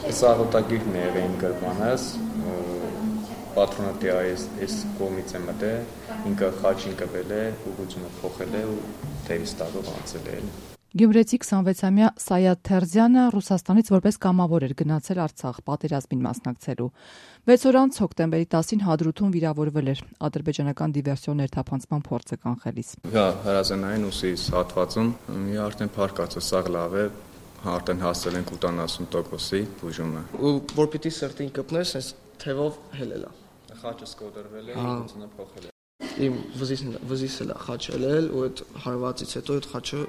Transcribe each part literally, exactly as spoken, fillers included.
Սաղոտագիր նեղին գրմանես, պատրոնատի այս կողմից է մտե, ինքը խաչին կվել է, ուղղությունը փոխել է ու թերիս տալով անցել է։ Գյումրեցի քսանվեցամյա Սայադ Թերզյանը Ռուսաստանից որպես կամավոր էր գնացել Արցախ պատերազմին մասնակցելու։ վեց օր անց հոկտեմբերի տասին Հադրութում վիրավորվել էր ադրբեջանական դիվերսիոն ներթափանցման փորձը կանխելիս։ Հա, հրազենային ուսիս հատվածում մի արդեն փառկացը սաղ լավ է, արդեն հասել ենք ութանասուն տոկոսի բուժումը։ Ու որ պիտի սրտին կպնես, այս թևով հելել է։ Խաչը սկոդրվել է, ուղղությունը փոխել է։ Իմ վզիս էլ է խաչել էլ ու այդ հարվածից հետո այդ խաչը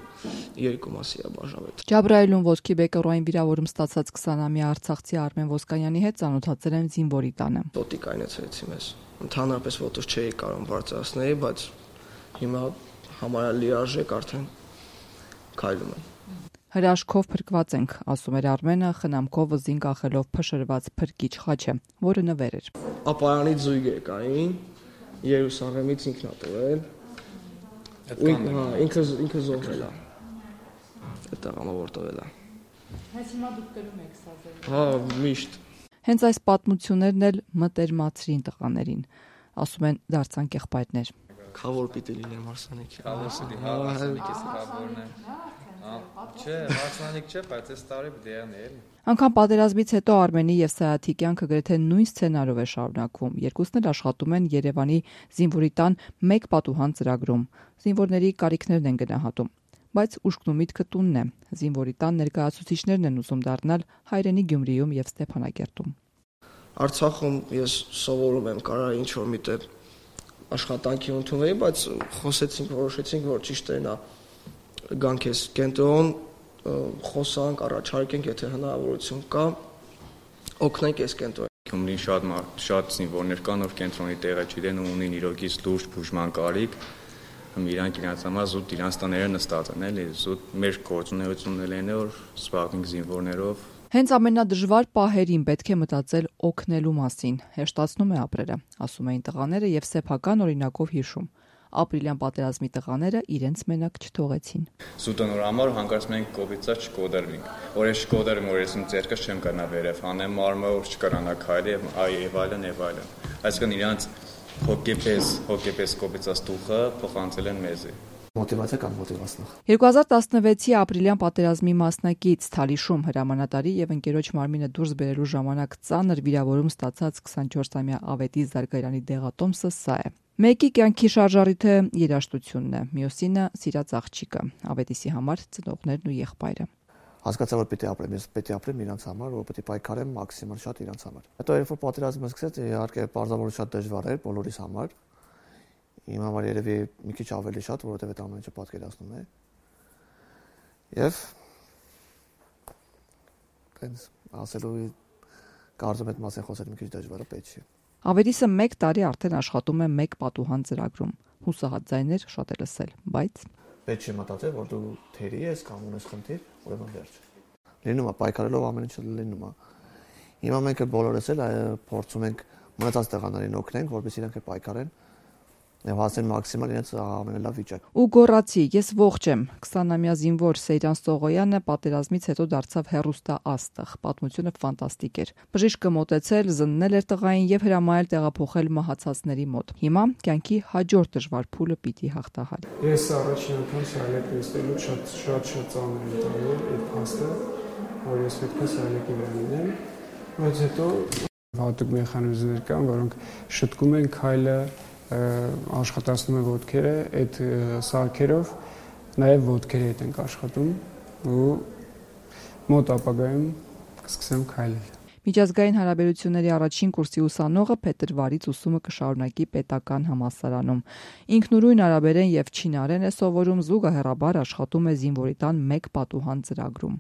երկու մասի է բաժանել։ Ջաբրայելում ոսկի բեկորային վիրավորում ստացած քսանամյա արցախցի Արմեն Ոսկանյանի հետ ծանոթացել են զինվորի տանը։ Տոտի կայնեցրեցի մեզ։ Ընդհանրապես ոտոս չէի կարող բարձրացնել, բայց հիմա համարյա լիարժեք արդեն քայլում եմ։ Հրաշքով փրկված ենք, ասում էր Արմենը, խնամքով զին կախելով փշրված փրկիչ խաչը, որը նվեր էր։ Ապարանի զույգեր կային, Երուսաղեմից ինքն ա տվել։ Ինքը ինքը զոհվել է։ Այդ տղամը որ տվել է։ Հենց հիմա դուք կրում եք սազել։ Հա, միշտ։ Հենց այս պատմություններն էլ մտերմացրին տղաներին, ասում են դարձան եղբայրներ։ Խավոր պիտի լինեմ հարսանիքի։ Խավորսի հա հարսանիքի խավորն է։ Չէ, հարսանիք չէ, բայց այս տարի դեան է։ Անկամ պատերազմից հետո Արմենի եւ Սայաթի կյանքը գրեթե նույն սցենարով է շարունակվում։ Երկուսն էլ աշխատում են Երևանի զինվորի տան մեկ պատուհան ծրագրում։ Զինվորների կարիքներն են գնահատում, բայց ուշքն ու միտքը տունն է։ Զինվորի տան ներկայացուցիչներն են ուզում դառնալ հայրենի Գյումրիում եւ Ստեփանագերտում։ Արցախում ես սովորում եմ, կարա ինչ որ միտեղ աշխատանքի ընդունեի, բայց խոսեցինք, որոշեցինք, որ ճիշտ է նա գանք ես կենտրոն խոսանք, առաջարկենք, եթե հնարավորություն կա, օգնենք այս կենտրոն։ Գյումրին շատ շատ զինվորներ կան, որ կենտրոնի տեղը չգիտեն ու ունին իրոքից լուրջ բուժման կարիք, իրանք իրանց համար զուտ իրանց տաները նստած են, էլի, զուտ մեր գործունեությունն էլ է, որ զբաղվենք զինվորներով։ Հենց ամենադժվար պահերին պետք է մտածել օգնելու մասին, հեշտացնում է ապրելը, ասում էին տղաները եւ սեփական օրինակով հիշում։ Ապրիլյան պատերազմի տղաները իրենց մենակ չթողեցին։ Զուտոնոր համար հանկարծ մենք կոպիծած չկոդերվինք։ Որ ես չկոդերեմ, որ ես իմ ձեռքս չեմ կրնա վերև, հանեմ մարմը, որ չկրանա քայլի եւ այլն եւ այլն։ Այսինքն իրանց հոգեպես, հոգեպես կոպիծած տուխը փոխանցել են մեզի։ Մոտիվացիա կամ մոտիվացնող։ երկու հազար տասնվեցի ապրիլյան պատերազմի մասնակից Թալիշում հրամանատարի եւ ընկերոջ մարմինը դուրս բերելու ժամանակ ծանր վիրավորում ստացած քսանչորսամյա Ավետիս Զարգարյանի դեղատոմսը սա է։ Մեկի կյանքի շարժառիթը երաժշտությունն է, մյուսինը սիրած աղջիկը, Ավետիսի համար ծնողներն ու եղբայրը։ Հասկացա, որ պետք է ապրեմ, ես պետք է ապրեմ իրանց համար, որ պետք է պայքարեմ մաքսիմալ շատ իրանց համար։ Հետո երբ որ պատերազմը սկսեց, իհարկե պարզաբար շատ դժվար էր բոլորիս համար։ Իմ համար երևի մի քիչ ավելի շատ, որովհետև այդ ամենը չպատկերացնում է։ Եվ տենց ասելու կարծում եմ մասը խոսել մի քիչ դժվար է, պետք չէ։ Ավետիսը մեկ տարի արդեն աշխատում է մեկ պատուհան ծրագրում։ Հուսահատ ձայներ շատ է լսել, բայց պետք չէ մտածել, որ դու թերի ես կամ ունես խնդիր, ուրեմն վերջ։ Լինում է պայքարելով ամեն ինչը լինում է։ Հիմա մենք բոլորս էլ փորձում ենք մնացած տղաներին օգնենք, որպեսզի իրենք պայքարեն եւ հասնեն մաքսիմալ իրենց ամենալավ վիճակ։ Ու գոռացի, ես ողջ եմ։ քսանամյա զինվոր Սեյրան Սողոյանը պատերազմից հետո դարձավ հեռուստա աստղ։ Պատմությունը ֆանտաստիկ էր։ Բժիշկը մոտեցել, զննել էր տղային եւ հրամայել տեղափոխել մահացածների մոտ։ Հիմա կյանքի հաջորդ դժվար փուլը պիտի հաղթահար։ Ես առաջին անգամ սայլեք նստելու շատ շատ շատ ծանր եմ տալու այդ փաստը, որ ես պետք է սայլեկի վրա լինեմ, բայց հետո հատուկ մեխանիզմներ կան, որոնք շտկում են քայլը, աշխատացնում են ոտքերը, այդ սարքերով նաև ոտքերի հետ ենք աշխատում ու մոտ ապագայում կսկսեմ քայլել։ Միջազգային հարաբերությունների առաջին կուրսի ուսանողը փետրվարից ուսումը կշարունակի պետական համալսարանում։ Ինքնուրույն արաբերեն եւ չինարեն է սովորում, զուգահեռաբար աշխատում է զինվորի տան մեկ պատուհան ծրագրում։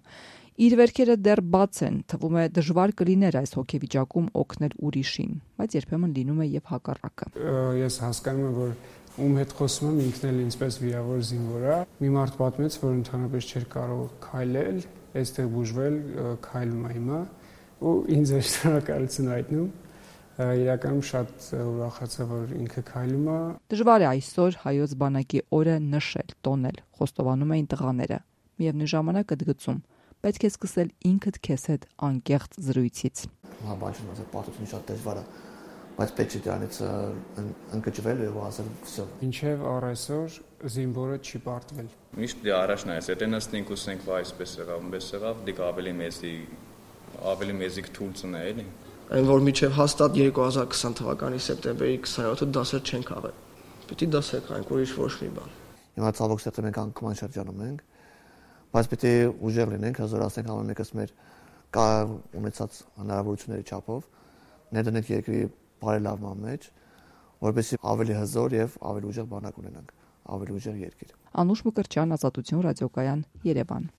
Իր վերքերը դեռ բաց են, թվում է դժվար կլիներ այս հոգեվիճակում օգնել ուրիշին, բայց երբեմն լինում է եւ հակառակը։ Ես հասկանում եմ, որ ում հետ խոսում եմ, ինքն էլ ինձպես վիրավոր զինվոր է։ Մի մարդ պատմեց, որ ընդհանրապես չէր կարող քայլել, այստեղ բուժվել, քայլում է հիմա, ու ինձ է շնորհակալություն հայտնում։ Իրականում շատ ուրախացա, որ ինքը քայլում է։ Դժվար է այսօր հայոց բանակի օրը նշել, տոնել, խոստովանում էին տղաները։ Միևնույն ժամանակ ընդգծում, պետք է սկսել ինքդ քեզ հետ անկեղծ զրույցից։ Հա, բան չեմ ասել, պարտությունը շատ դժվար է, բայց պետք է դրանից ընկճվել եւ ասել վсё։ Մինչեւ առայսօր զինվորը չի պարտվել։ Միշտ դե առաջ նայես, եթե նստենք ու ասենք, վայ, այսպես եղավ, այնպես եղավ, դիք ավելի մեծի ավելի մեծիկ թույլ ծնե էլի։ Այն որ միջև հաստատ երկու հազար քսան թվականի սեպտեմբերի քսանյոթը դասեր չեն քաղել։ Պետք է դասեր քաղենք, ուրիշ ոչ մի բան։ Հիմա ցավոք սերտը մենք անկման շրջանում ենք, բայց պետք է ուժեղ լինենք, հազորացնենք ամեն մեկս մեր կա ունեցած հնարավորությունների չափով, ներդնենք երկրի բարելավման մեջ, որովհետեւ ավելի հզոր եւ ավելի ուժեղ բանակ ունենանք, ավելի ուժեղ երկիր։ Անուշ Մկրտչյան, Ազատություն ռադիոկայան, Երևան։